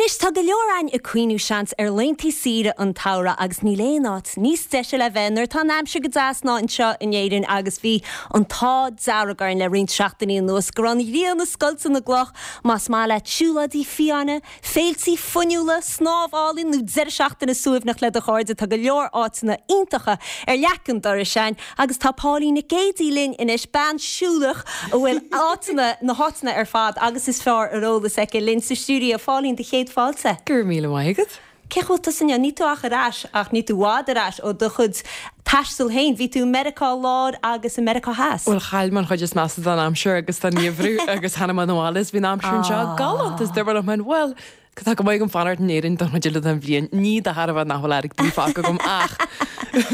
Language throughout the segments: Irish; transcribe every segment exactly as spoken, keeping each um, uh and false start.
Anois tá go leor againn ag cuimhniú seans ar laethanta saoire an tsamhraidh agus níl aon áit níos deise le bheith nuair atá an aimsir go deas ná anseo in Éirinn agus bhí an t-ádh dearg orainn le roinnt seachtainí anuas go raibh an ghrian ag scoilteadh na gcloch más maith leat siúlóidí fiáine, féiltí fuinniúla, snámh álainn nó deireadh seachtaine suaimhneach le do chairde tá go leor áiteanna iontacha ar leac an dorais againn agus tá Pauline Nic Géadaigh linn anois bean siúlach a bhfuil áiteanna na háiteanna ar fad agus is fearr ar eolas aici linn sa stiúideo Pauline do chéad fáilte. Gur míle maith agat? Cé bhfuil tú inniu ní tú ach ar ais ach ní tú i bhfad ar ais ó do chuid taistil féin, bhí tú Meiriceá Láir agus i Meiriceá Theas. Well chaill mé an chuid is measa den aimsir agus den gheimhreadh agus tháinig mé abhaile is bhí an aimsir anseo galánta is dúirt mé well tá go maith agam fanacht in Éirinn don chuid eile den bhliain ní de thairbhe nach bhfuil airgead fágtha agam ach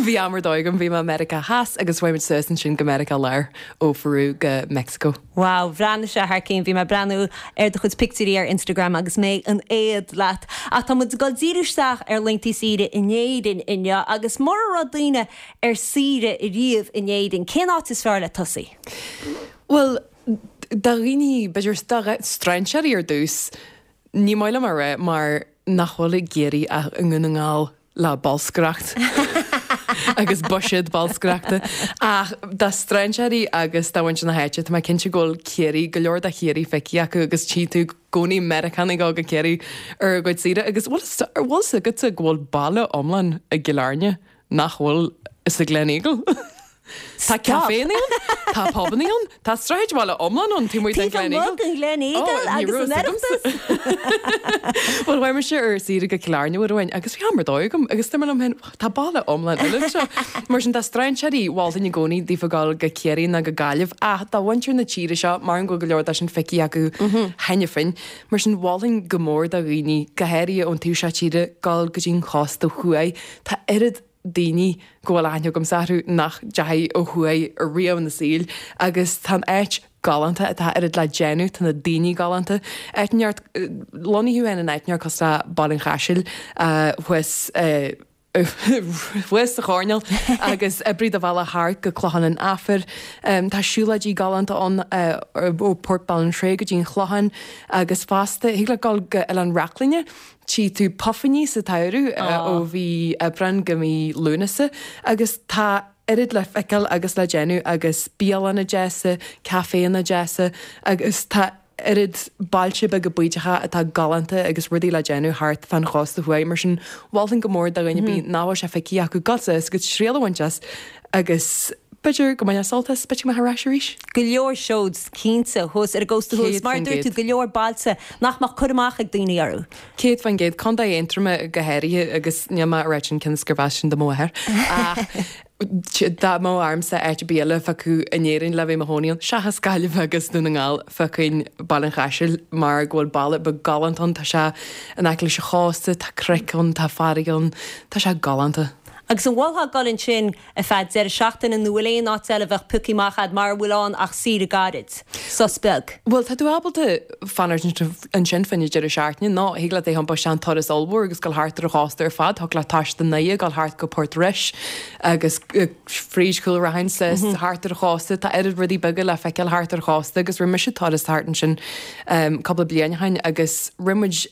bhí am ar dóigh agam bhí mé Meiriceá Theas agus bhí muid suas ansin go Meiriceá Láir ó Pheru go Mexico. Wow, bhreathnaigh sé thar cinn bhí mé breathnú ar do chuid pictiúirí ar Instagram agus mé in éad leat. Ach tá muid ag dul díriú isteach ar laethanta saoire in Éirinn inniu agus mura raibh daoine ar saoire riamh in Éirinn, cén áit is fearr le tosaí? Well, do dhaoine b'fhéidir strainséirí ar dtús, ní maith liom a rá mar nach bhfuil i gCiarraí ach i nDún na nGall le bolscaireacht agus buiséad bolscaireachta ach do strainséirí agus do mhuintir na háite tá mé cinnte go bhfuil Ciarraí go leor de Chiarraí feicthe acu agus tchí tú i gcónaí Meiriceánaigh ag go Ciarraí ar a gcuid saoire agus bhfuil bhfuil a fhios agatsa go bhfuil baile iomlán i gCill Airne nach bhfuil sa Gleneagle. Tá caiféanna ann, tá pubanna ann, tá sráidbhaile iomlán ann taobh amuigh den Gleneagle. an Gleneagle agus an Oireachtas. Well chuaigh mise ar saoire go Cill Airne uair amháin agus bhí am ar dóigh agam agus dúirt mé liom féin tá baile iomlán eile anseo. Mar sin tá strainséirí mholfainn i gcónaí daofa dul go Ciarraí nó go Gaillimh ach do mhuintir na tíre seo mar go bhfuil go leor de sin feicthe acu cheana féin. Mar sin mholfainn go mór do dhaoine go háirithe ón taobh seo tíre dul go dtí an chósta thuaidh. Tá oiread daoine go bhfuil aithne agamsa orthu nach ndeachaigh ó thuaidh riamh ina saol agus tá an áit galánta atá oiread le déanamh tá na daoine galánta. Áit neart lonnaithe thú in áit neart cosúil le Baile an Chaisil thuas thuas sa choirnéal agus oibrigh do bhealach thart go Clochán an Aifir. Tá siúlóidí galánta ann ó Port Ballintrae go dtí an Chlochán agus fosta thig leat dul go Oileán Reachlainne tchí tú puifíní sa tsamhradh ó mhí Aibreán go mí Lúnasa agus tá oiread le feiceáil agus le déanamh agus bialanna deasa, caiféanna deasa agus tá oiread bailte beaga bídeacha atá galánta agus rudaí le déanamh thart fan chósta thuaidh mar sin mholfainn go mór do dhuine ar bith nach bhfuil sé feicthe acu dul suas agus triail a bhaint as agus b'fhéidir go mbainfeá sult as b'fhéidir go mbeifeá ar ais arís. Go leor seod cinnte thuas ar an gcósta thuas mar dúirt tú go leor bailte nach mbeadh cur amach ag daoine orthu. Céad faoin gcéad Contae Aontroma go háirithe agus níl mé ag rá sin cionn is gurb as sin do mháthair ach dá mbeadh ormsa áit ar bith eile a phiocadh in Éirinn le bheith i mo chónaí ann seachas Gaillimh agus Dún na nGall phiocfainn Baile an Chaisil mar go bhfuil baile beag galánta ann tá sé in aice leis an chósta tá cnoic ann tá farraige ann tá sé galánta. Agus an mholfá dul ansin ar feadh deireadh seachtaine nó bhfuil aon áit eile a bheadh pioctha amach agat mar a bhfuil ann ach saoire gairid, sos beag. Bhuel tá tú ábalta fanacht ansin fá choinne deireadh seachtaine nó thig leat é a iompú isteach in turas ollmhór agus dul thart ar an chósta ar fad, thig leat taisteal i nDoire dul thart go Port Rois agus fríd Chúil Raithin suas thart ar an chósta, tá oiread rudaí beaga le feiceáil thart ar an chósta agus rinne mise turas thart ansin cúpla bliain ó shin agus rinne muid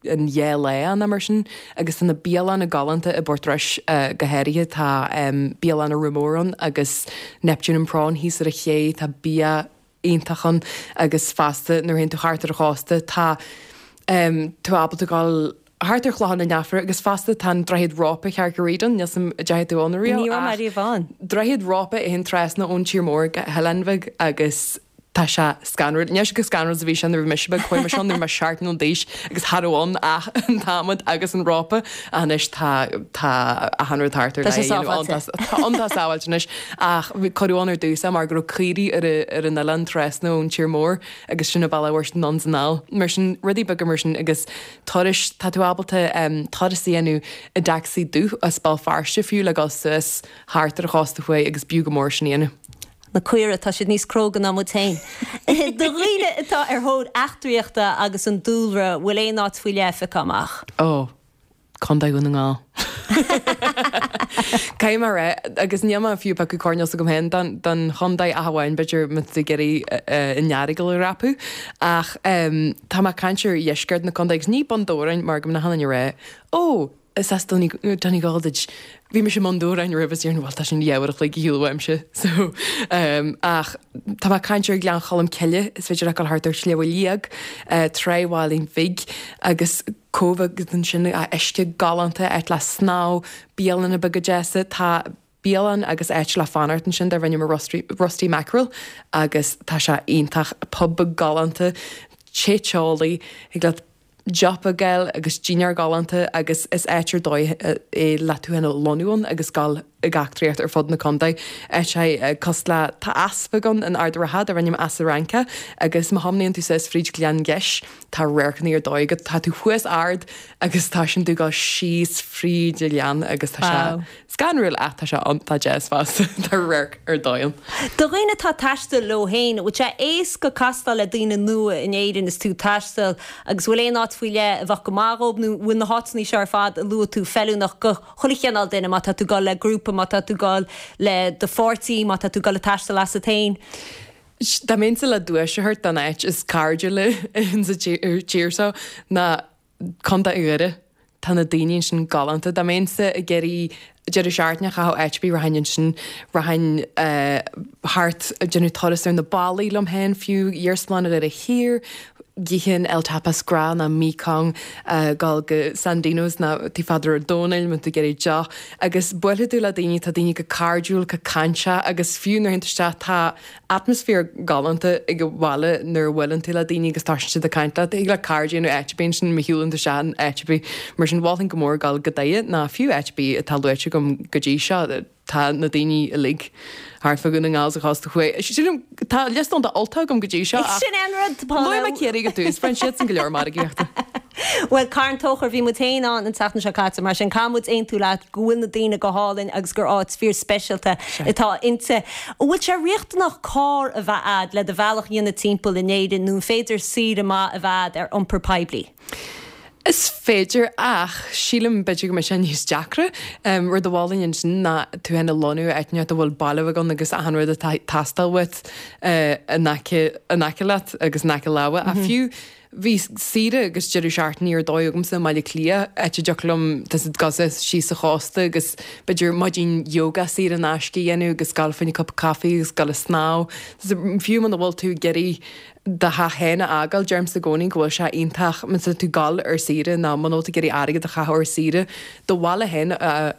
an dhá lá ann mar sin agus tá na bialanna galánta i bPort Rois go háirithe tá bialanna Rumour ann agus Neptune and Prawn thíos ar an ché tá bia iontach ann agus fosta nuair a théann tú thart ar an chósta tá tú ábalta dul thart ar Chlochán an Aifir agus fosta tá an droichead rópa Carrick-a-Rede ann níl a fhios agam an ndeachaigh tú ann riamh Ní raibh mé riamh ann. Droichead rópa a théann trasna ón tír mór go hOileán Bheag agus tá sé scanrúil. Níl sé chomh scanrúil is a bhí sé nuair a bhí mise beag chuaigh mise ann nuair a bhí mé seacht mbliana d'aois agus cha raibh ann ach an t-adhmad agus an rópa ach anois tá tá achan rud thart ar Tá sé le dhéanamh ann. sábháilte. Tá tá an tá sábháilte anois ach cuireadh ann ar dtús é mar go raibh caoirigh ar a ar an oileán trasna ón tír mór agus sin an bealach a bhfuair siad anonn is anall. Mar sin rudaí beaga mar sin agus turais tá tú ábalta um, turas a dhéanamh i dtacsaí dubh as Béal Feirste fiú le dul suas thart ar an chósta thuaidh agus b'fhiú go mór sin a dhéanamh. Na caoirigh tá siad níos cróga ná muid féin. Do dhaoine atá ar thóir eachtraíochta agus an dúlra bhfuil aon áit faoi leith pioctha amach. Ó, Contae Dhún na nGall. Caithfidh mé a rá agus níl mé fiú piocadh coirnéal s'agam féin don don chontae ach amháin b'fhéidir má tá tú ag iarraidh an Earagail a dhreapadh ach tá mé ag caint ar dheisceart na contae agus ní Bun Dobhráin mar go mbeadh achan duine ag rá ó is as Donegal duit. Bhí mise i mBun Dobhráin roimh is déarfainn bhuel tá sin leathuair a chloig ar shiúl uaimse so ach tá mé ag caint ar Ghleann Cholm Cille is féidir leat dul thart ar Shliabh Liag, Tráigh Mhailín Bhig agus Cóbh agus ansin uisce galánta, áit le snámh, bialanna beaga deasa, tá bialann agus áit le fanacht ansin darb ainm Rusty, Rusty Mackerel agus tá sé iontach, pub beag galánta, tae teolaí, thig leat deoch a fháil agus dinnéar galánta agus is áit ar dóigh é le tú féin a lonnú ann agus dul ag eachtraíocht ar fud na contae. Áit é cosúil le tá eas beag ann in Ard an Rátha darb ainm Eas a' Fhraince agus má thiomnaíonn tú suas fríd Ghleann Gheis tá radharcanna ar dóigh agat, tá tú thuas ard agus tá sin tú ag dul síos fríd an ghleann agus tá sé scanrúil ach tá sé iontach deas fosta, tá radharc ar dóigh ann. Do dhaoine atá ag taisteal leo féin, an bhfuil sé éasca castáil le daoine nua in Éirinn is tú ag taisteal agus bhfuil aon áit faoi leith a bheadh go maith dhób nó bhfuil na háiteanna seo ar fad a luaigh tú feiliúnach go chuile chineál duine, má tá tú ag dul le grúpa, má tá tú ag dul le do pháirtí, má tá tú ag dul ag taisteal asat féin? Dá mbeinnse le duais a thabhairt don áit is cairdiúla sa tír seo ná Contae Dhoire. Tá na daoine ansin galánta. Dá mbeinnse ag iarraidh deireadh seachtaine a chaitheamh áit ar bith rachainn ansin, rachainn thart ag déanamh turas ar na ballaí liom féin fiú, Iarsmalann Dhoire Thiar, d'ithfinn El Tapas Grá ná Mekong, dul go Sandino's ná Tigh Pheadair Ó Domhnaill má tá tú ag iarraidh deoch agus buailfidh tú le daoine, tá daoine go cairdiúil, go cainteach agus fiú nuair a théann tú isteach tá atmaisféar galánta ag an bhaile nuair a bhuaileann tú le daoine agus tosaíonn siad ag caint leat. Thig leat cairde a dhéanamh áit ar bith ansin má shiúlann tú isteach in áit ar bith. Mar sin mholfainn go mór dul go Doire ná fiú áit ar bith atá luaite agam go dtí seo. Tá na daoine uilig thart fá Dhún na nGall sa chósta thuaidh. Sílim, tá liosta iontach Ultach agam go dtí seo ach Sin é an rud, Paula. Luaigh mé Ciarraí go dtús, bhain siadsan go leor margaíochta. Bhuel, Carn Tóchair, bhí muid féin ann an tseachtain seo caite, mar sin caithfidh muid aontú leat go bhfuil na daoine go hálainn agus gur áit fíor speisialta atá inti. An bhfuil sé riachtanach carr a bheith a'd le do bhealach a dhéanamh timpeall in Éirinn nó an féidir saoire maith a bheith a'd ar iompar poiblí? Is féidir ach sílim b'fhéidir go mbeidh sé níos deacra. Rud a mholfainn ansin ná tú féin a lonnú i áit inteacht a bhfuil baile beag ann agus achan rud atá ag teastáil uait in aice in aice leat agus in aice láimhe. Ach fiú bhí saoire agus deireadh seachtaine ar dóigh agamsa i mBaile Átha Cliath, áit a dtiocfadh liom tá 's a'd dul síos an chósta agus b'fhéidir maidin yoga saor in aisce a dhéanamh agus dul fá choinne cupa caife agus dul ag snámh. Fiú muna bhfuil tú ag iarraidh do theach féin a fhágáil, deirimse i gcónaí go bhfuil sé iontach má tá tú ag dul ar saoire nó muna bhfuil tú ag iarraidh airgead a chaitheamh ar saoire, do bhaile féin a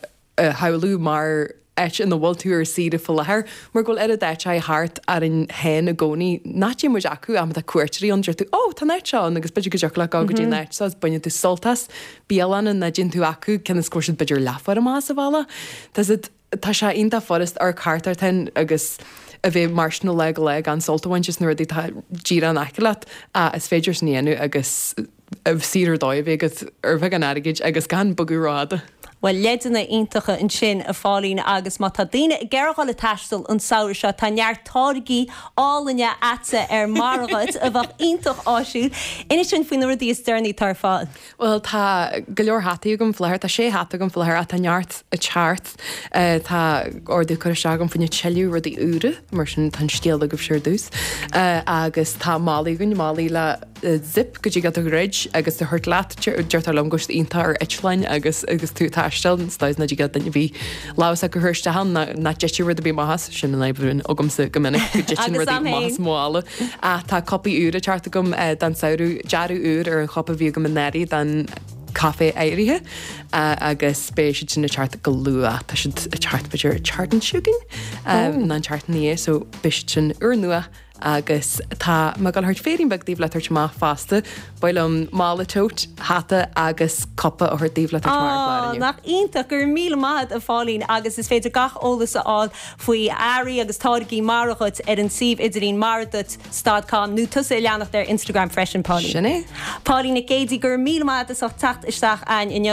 shamhlú mar áit ina bhfuil tú ar saoire faoi láthair, mar go bhfuil oiread áiteacha thart orainn féin i gcónaí nach dtéann muid acu ach má tá cuairteoirí ann deir tú 'Ó, tá an áit seo ann' agus b'fhéidir go dtiocfadh leat dul go dtí an áit seo agus baineann tú sult as, bialanna nach dtéann tú acu cionn is go bhfuil siad b'fhéidir leathuair amach as an bhaile. Tá siad. Tá sé iontach furast amharc thart ort féin agus a bheith mar sin ó lá go lá gan sult a bhaint as na rudaí atá díreach in aice leat ach is féidir sin a dhéanamh agus saoire ar dóigh a bheith agat ar bheagán airgid agus gan bogadh rófhada. Bhuel, leideanna iontacha ansin, a Phauline, agus má tá daoine ag iarraidh dhul ag taisteal an samhradh seo, tá neart táirgí álainne a'dsa ar Mara Dhuit a bheadh iontach áisiúil. Inis dúinn faoi na rudaí is deireanaí atá ar fáil. Bhuel, tá go leor hataí agam faoi láthair. Tá sé hata agam faoi láthair ach tá neart ag teacht. Tá ordú curtha isteach agam fá choinne tuilleadh rudaí úra, mar sin tá an scéal agaibhse ar dtús. Agus tá málaí againn, málaí le zip go dtig leat a dhruid agus a thabhairt leat. Deirtear liom go bhfuil siad iontach ar eitleáin agus agus tú ag taisteal, is dóigh nach dtig le duine ar bith lámh s'acu a chur isteach ann ná nach dtitfidh rud ar bith amach as. Sin an fhadhb a bhíonn agamsa go minic, go dtiteann rudaí amach as mo mhála. Ach tá cupaí úra ag teacht agam don samhradh, dearadh úr ar an chupa a bhí agam anuraidh don caife áirithe agus beidh siad sin ag teacht go luath. Tá siad ag teacht b'fhéidir an tseachtain seo chugainn nó an tseachtain ina dhiaidh so beidh siad sin úrnua agus tá mé ag dul a thabhairt féirín beag daoibh le tabhairt amach fosta. Ba mhaith liom mála tote, hata agus cupa a thabhairt daoibh le tabhairt amach ar an chlár inniu. Nach iontach! Go raibh míle maith agat a Phauline agus is féidir gach eolas a fháil faoi earraí agus táirgí Mara Dhuit ar an suíomh idirlín maraduit dot com nó tusa a leanacht ar Instagram freisin, Pauline. Sin é. Pauline Nic Géidigh, go raibh míle maith agat as ucht teacht isteach a'ainn inniu.